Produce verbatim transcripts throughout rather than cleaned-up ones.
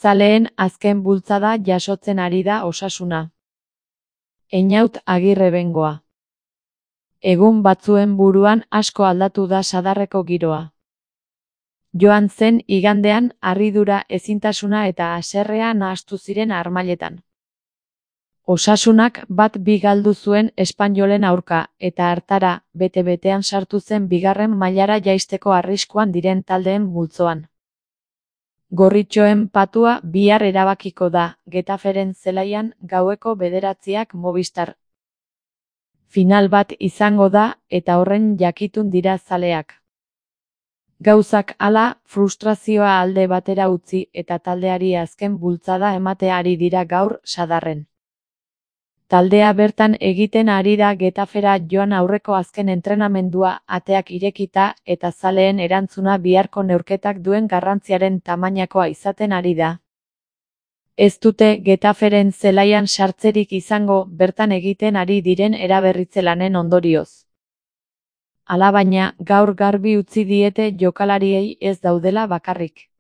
Zaleen azken bultzada jasotzen ari da Osasuna. Einaut Agirre Bengoa. Egun batzuen buruan asko aldatu da Sadarreko giroa. Joan zen igandean harridura, ezintasuna eta haserrea nahastu ziren harmailetan. Osasunak bat bi galdu zuen Espainolen aurka, eta hartara, bete-betean sartu zen bigarren mailara jaisteko arriskuan diren taldeen multzoan. Gorritxoen patua bihar erabakiko da, Getaferen zelaian gaueko bederatziak Movistar. Final bat izango da, eta horren jakitun dira zaleak. Gauzak hala, frustrazioa alde batera utzi eta taldeari azken bultzada ematea ari dira gaur Sadarren. Taldea bertan egiten ari da Getafera joan aurreko azken entrenamendua ateak irekita eta zaleen erantzuna biharko neurketak duen garrantziaren tamainakoa izaten ari da. Ez dute Getaferen zelaian sartzerik izango bertan egiten ari diren eraberritze lanen ondorioz. Alabaina, gaur garbi utzi diete jokalariei ez daudela bakarrik.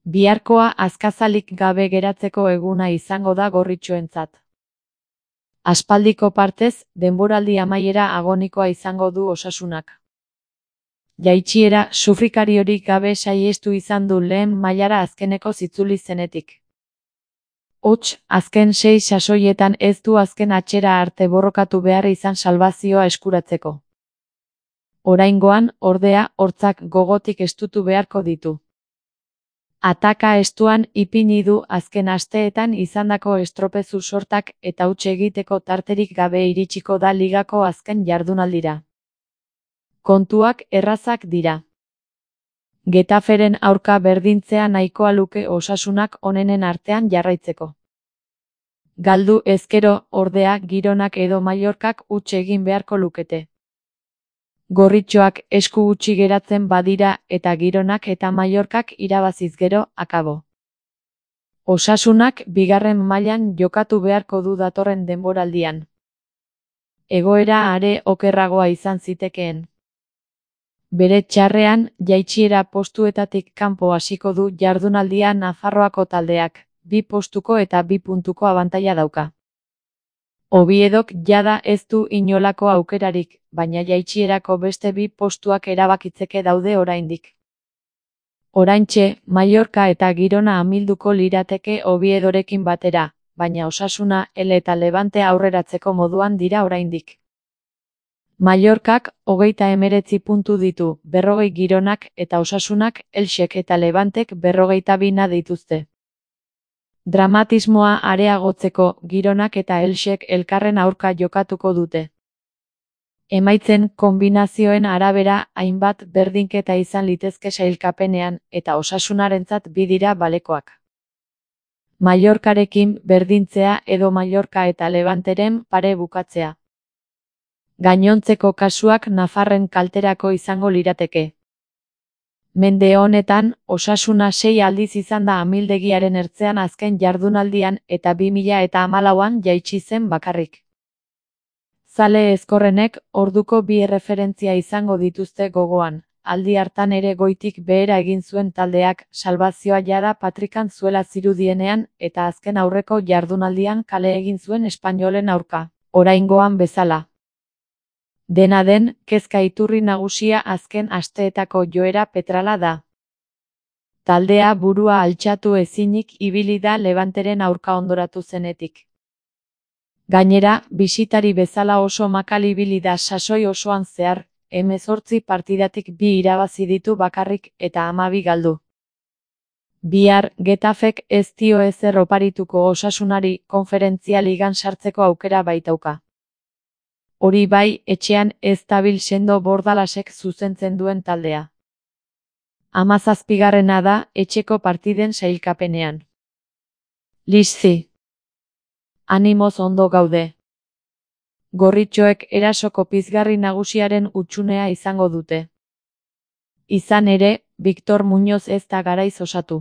Biharkoa azkazalik gabe geratzeko eguna izango da gorritxoentzat. Aspaldiko partez, denboraldi amaiera agonikoa izango du Osasunak. Jaitsiera sufrikariorik gabe saihestu izan du lehen mailara azkeneko zitzuli zenetik. Hots, azken sei sasoietan ez du azken atxera arte borrokatu behar izan salbazioa eskuratzeko. Oraingoan, ordea, hortzak gogotik estutu beharko ditu. Ataka estuan ipini du azken asteetan izandako estropezu sortak eta huts egiteko tarterik gabe iritsiko da ligako azken jardunaldira. Kontuak errazak dira. Getaferen aurka berdintzea nahikoa luke Osasunak onenen artean jarraitzeko. Galdu ezkero, ordea, Gironak edo Mallorcak huts egin beharko lukete. Gorritxoak esku gutxi geratzen badira eta Gironak eta Mallorcak irabaziz gero, akabo. Osasunak bigarren mailan jokatu beharko du datorren denboraldian. Egoera are okerragoa izan zitekeen. Bere txarrean, jaitsiera postuetatik kanpo hasiko du jardunaldia Nafarroako taldeak, bi postuko eta bi puntuko abantaila dauka. Oviedok jada ez du inolako aukerarik, baina jaitsierako beste bi postuak erabakitzeke daude oraindik. Oraintxe, Mallorca eta Girona amilduko lirateke Oviedorekin batera, baina Osasuna, Ele eta Levante aurreratzeko moduan dira oraindik. Mallorcak hogeita hemeretzi puntu ditu, berrogei Gironak eta Osasunak, Elxek eta Levantek berrogeita bina dituzte. Dramatismoa areagotzeko, Gironak eta Elxek elkarren aurka jokatuko dute. Emaitzen konbinazioen arabera hainbat berdinketa izan litezke sailkapenean eta Osasunarentzat bi dira balekoak. Mallorcarekin berdintzea edo Mallorca eta Levanteren pare bukatzea. Gainontzeko kasuak Nafarren kalterako izango lirateke. Mende honetan, Osasuna sei aldiz izan da amildegiaren ertzean azken jardunaldian eta bi mila eta hamalauan jaitsi zen bakarrik. Zale ezkorrenek orduko bi erreferentzia izango dituzte gogoan, aldi hartan ere goitik behera egin zuen taldeak salbazioa jada patrikan zuela zirudienean eta azken aurreko jardunaldian kale egin zuen Espainolen aurka, oraingoan bezala. Dena den, kezka iturri nagusia azken asteetako joera petrala da. Taldea burua altxatu ezinik ibili da Levanteren aurka ondoratu zenetik. Gainera, bisitari bezala oso makal ibili da sasoi osoan zehar, hemezortzi partidatik bi irabazi ditu bakarrik eta hamabi galdu. Bihar, Getafek ez dio ezer oparituko Osasunari konferentzia ligan sartzeko aukera baitauka. Hori bai, etxean ez dabil sendo Bordalasek zuzentzen duen taldea. Hamazazpigarrena da etxeko partiden sailkapenean. Lizzi. Animoz ondo gaude. Gorritxoek erasoko pizgarri nagusiaren hutsunea izango dute. Izan ere, Victor Muñoz ez da garaiz osatu.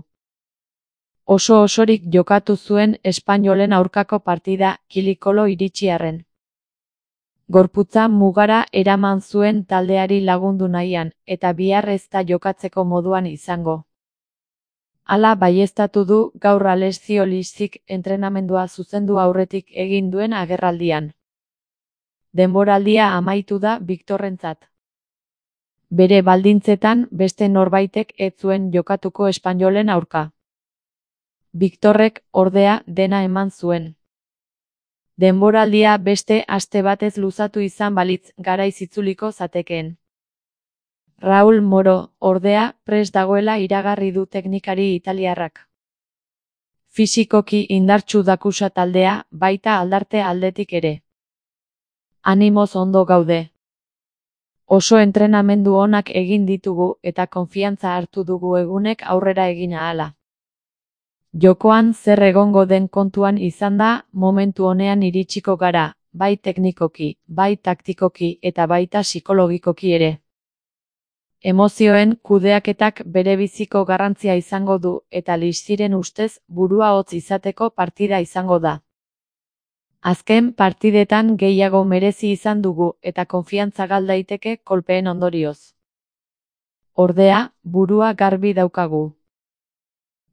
Oso osorik jokatu zuen Espainolen aurkako partida kilikolo iritsiarren. Gorputza mugara eraman zuen taldeari lagundu nahian, eta bihar ez da jokatzeko moduan izango. Hala baieztatu du gaur Alessio Lisic entrenamendua zuzendu aurretik egin duen agerraldian. Denboraldia amaitu da Victorrentzat. Bere baldintzetan beste norbaitek ez zuen jokatuko Espainolen aurka. Victorrek, ordea, dena eman zuen. Denboraldia beste aste batez luzatu izan balitz garaiz itzuliko zatekeen. Raul Moro, ordea, prest dagoela iragarri du teknikari italiarrak. Fisikoki indartsu dakusa taldea, baita aldarte aldetik ere. Animoz ondo gaude. Oso entrenamendu onak egin ditugu eta konfiantza hartu dugu egunek aurrera egin ahala. Jokoan zer egongo den kontuan izan da, momentu honean iritsiko gara, bai teknikoki, bai taktikoki eta baita psikologikoki ere. Emozioen kudeaketak berebiziko garrantzia izango du eta Lisicren ustez burua hotz izateko partida izango da. Azken partidetan gehiago merezi izan dugu eta konfiantza gal daiteke kolpeen ondorioz. Ordea, burua garbi daukagu.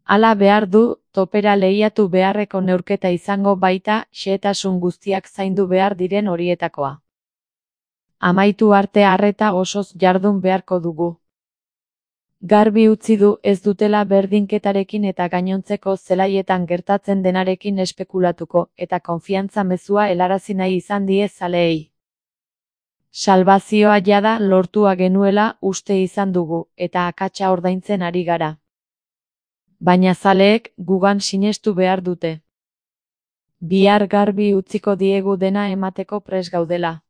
Hala behar du, topera lehiatu beharreko neurketa izango baita, xehetasun guztiak zaindu behar diren horietakoa. Amaitu arte arreta osoz jardun beharko dugu. Garbi utzi du ez dutela berdinketarekin eta gainontzeko zelaietan gertatzen denarekin espekulatuko eta konfiantza mezua helarazi nahi izan die zaleei. Salbazioa jada lortua genuela uste izan dugu eta akatsa ordaintzen ari gara. Baina zaleek gugan sinestu behar dute. Bihar garbi utziko diegu dena emateko prest gaudela.